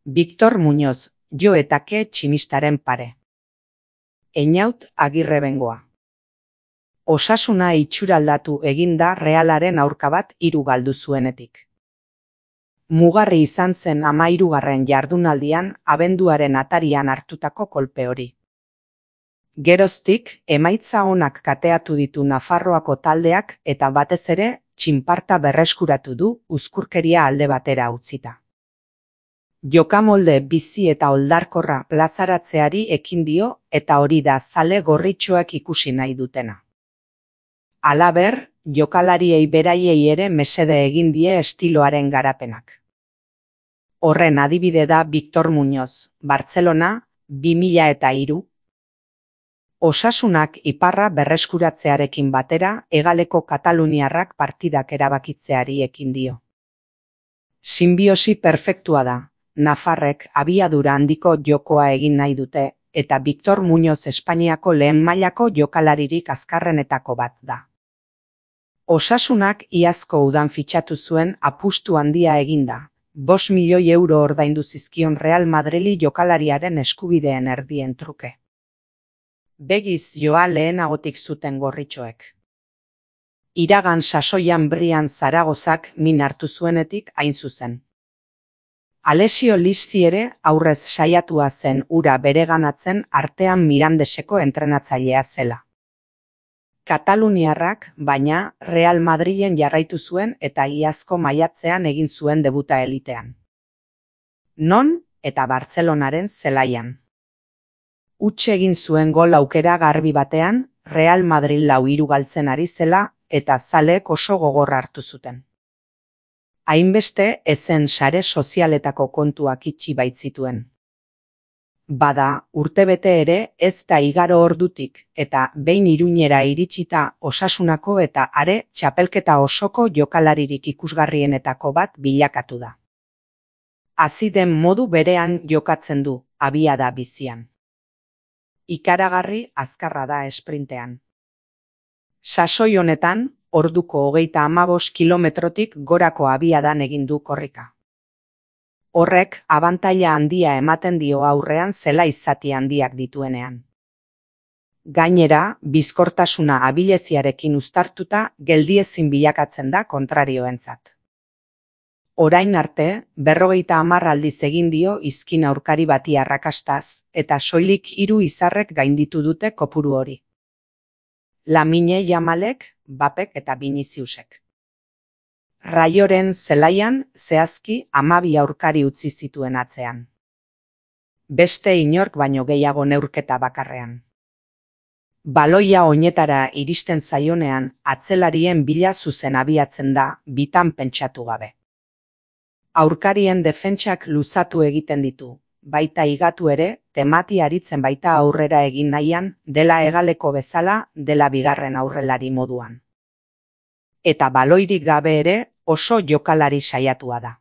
Victor Muñoz, Jo eta Ke tximistaren pare. Einaut Agirre Bengoa. Osasuna itxuraldatu egin da Realaren aurka bat 3 galdu zuenetik. Mugarri izan zen 13. jardunaldian abenduaren atarian hartutako kolpe hori. Geroztik, emaitza onak kateatu ditu Nafarroako taldeak eta batez ere, txinparta berreskuratu du uzkurkeria alde batera utzita. Jokamolde bizi eta oldarkorra plazaratzeari ekin dio eta hori da zale gorritxoak ikusi nahi dutena. Halaber, jokalariei beraiei ere mesede egin die estiloaren garapenak. Horren adibide da Victor Muñoz, Bartzelona, 2003. Osasunak iparra berreskuratzearekin batera hegaleko kataluniarrak partidak erabakitzeari ekin dio. Sinbiosi perfektua da. Nafarrek abiadura handiko jokoa egin nahi dute, eta Victor Muñoz Espainiako lehen mailako jokalaririk azkarrenetako bat da. Osasunak iazko udan fitxatu zuen apustu handia eginda, 5 milioi euro ordaindu zizkion Real Madrili jokalariaren eskubideen erdien truke. Begiz joa lehenagotik zuten gorritxoek. Iragan sasoian Brian Zaragozak min hartu zuenetik hain zuzen. Alessio Listi ere aurrez saiatua zen ura bereganatzen artean Mirandeseko entrenatzailea zela. Kataluniarrak, baina, Real Madrilen jarraitu zuen eta iazko maiatzean egin zuen debuta elitean. Non eta Bartzelonaren zelaian. Huts egin zuen gol aukera garbi batean, Real Madrid 4-3 galtzen ari zela eta zaleek oso gogorra hartu zuten. Hainbeste ezen sare sozialetako kontuak itxi baitzituen. Bada, urtebete ere ez da igaro ordutik eta behin Iruñera iritsita Osasunako eta are txapelketa osoko jokalaririk ikusgarrienetako bat bilakatu da. Hazi den modu berean jokatzen du, abiada bizian. Ikaragarri azkarra da esprintean. Sasoi honetan, orduko 35 kilometrotik gorako abiadan egin du korrika. Horrek abantaila handia ematen dio aurrean zela izati handiak dituenean. Gainera, bizkortasuna abileziarekin uztartuta geldiezin bilakatzen da kontrarioentzat. Orain arte, 50 aldiz egin dio izkin aurkari bati arrakastaz, eta soilik 3 izarrek gainditu dute kopuru hori. Lamine Yamalek, Bapek eta Viniciusek. Raioren zelaian zehazki 12 aurkari utzi zituen atzean. Beste inork baino gehiago neurketa bakarrean. Baloia oinetara iristen zaionean atzelarien bila zuzen abiatzen da bitan pentsatu gabe. Aurkarien defentsak luzatu egiten ditu, baita higatu ere, temati aritzen baita aurrera egin nahian, dela hegaleko bezala, dela bigarren aurrelari moduan. Eta baloirik gabe ere oso jokalari saiatua da.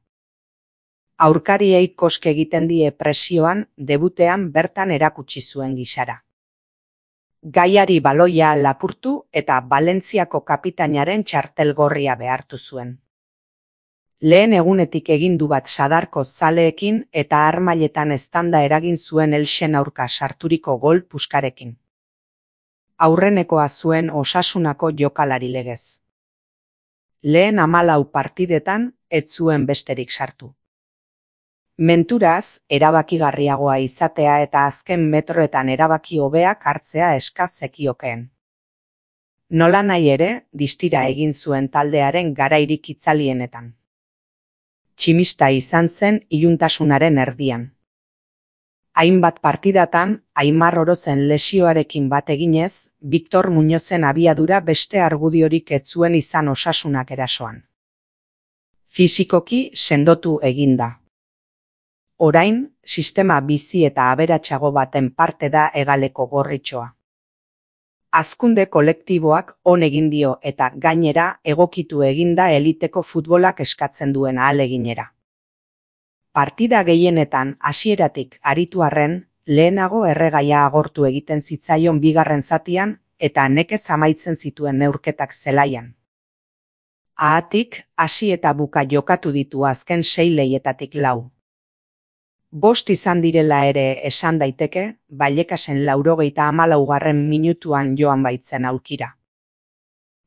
Aurkariei koske egiten die presioan debutean bertan erakutsi zuen gisara. Gaiari baloia lapurtu eta Valentziako kapitainaren txartel gorria behartu zuen. Lehen egunetik egin du bat sadarko zaleekin eta harmailetan eztanda eragin zuen Elxen aurka sarturiko gol puskarekin. Aurrenekoa zuen Osasunako jokalari legez. Lehen 14 partidetan ez zuen besterik sartu. Menturaz, erabakigarriagoa izatea eta azken metroetan erabaki hobeak hartzea eska zekiokeen. Nolanahi ere, distira egin zuen taldearen garairik itzalienetan. Tximista izan zen iluntasunaren erdian. Hainbat partidatan, Aimar Orozen lesioarekin bat eginez, Victor Muñozen abiadura beste argudiorik ez zuen izan Osasunak erasoan. Fisikoki sendotu eginda. Orain, sistema bizi eta aberatsago baten parte da hegaleko gorritxoa. Hazkunde kolektiboak on egin dio eta gainera egokitu eginda eliteko futbolak eskatzen duen ahaleginera. Partida gehienetan hasieratik aritu arren, lehenago erregaia agortu egiten zitzaion bigarren zatian eta nekez amaitzen zituen neurketak zelaian. Ahatik, hasi eta buka jokatu ditu azken 6 lehietatik 4. 5 izan direla ere esan daiteke, Vallecasen 94. minutuan joan baitzen aulkira.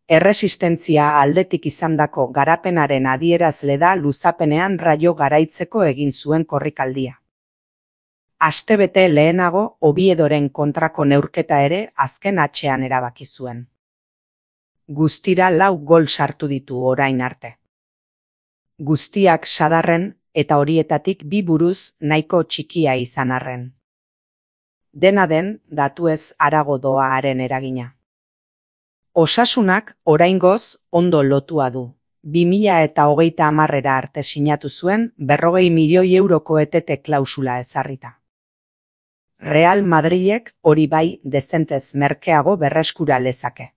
Erresistentzia aldetik izandako garapenaren adierazle da luzapenean Rayo garaitzeko egin zuen korrikaldia. Astebete lehenago Oviedoren kontrako neurketa ere azken atxean erabaki zuen. Guztira 4 gol sartu ditu orain arte. Guztiak sadarren eta horietatik 2 buruz nahiko txikia izan arren. Dena den, datuez harago doa haren eragina. Osasunak oraingoz ondo lotua du. 2030 arte sinatu zuen 40 milioi euroko etete klausula ezarrita. Real Madrilek hori bai dezentez merkeago berreskura lezake.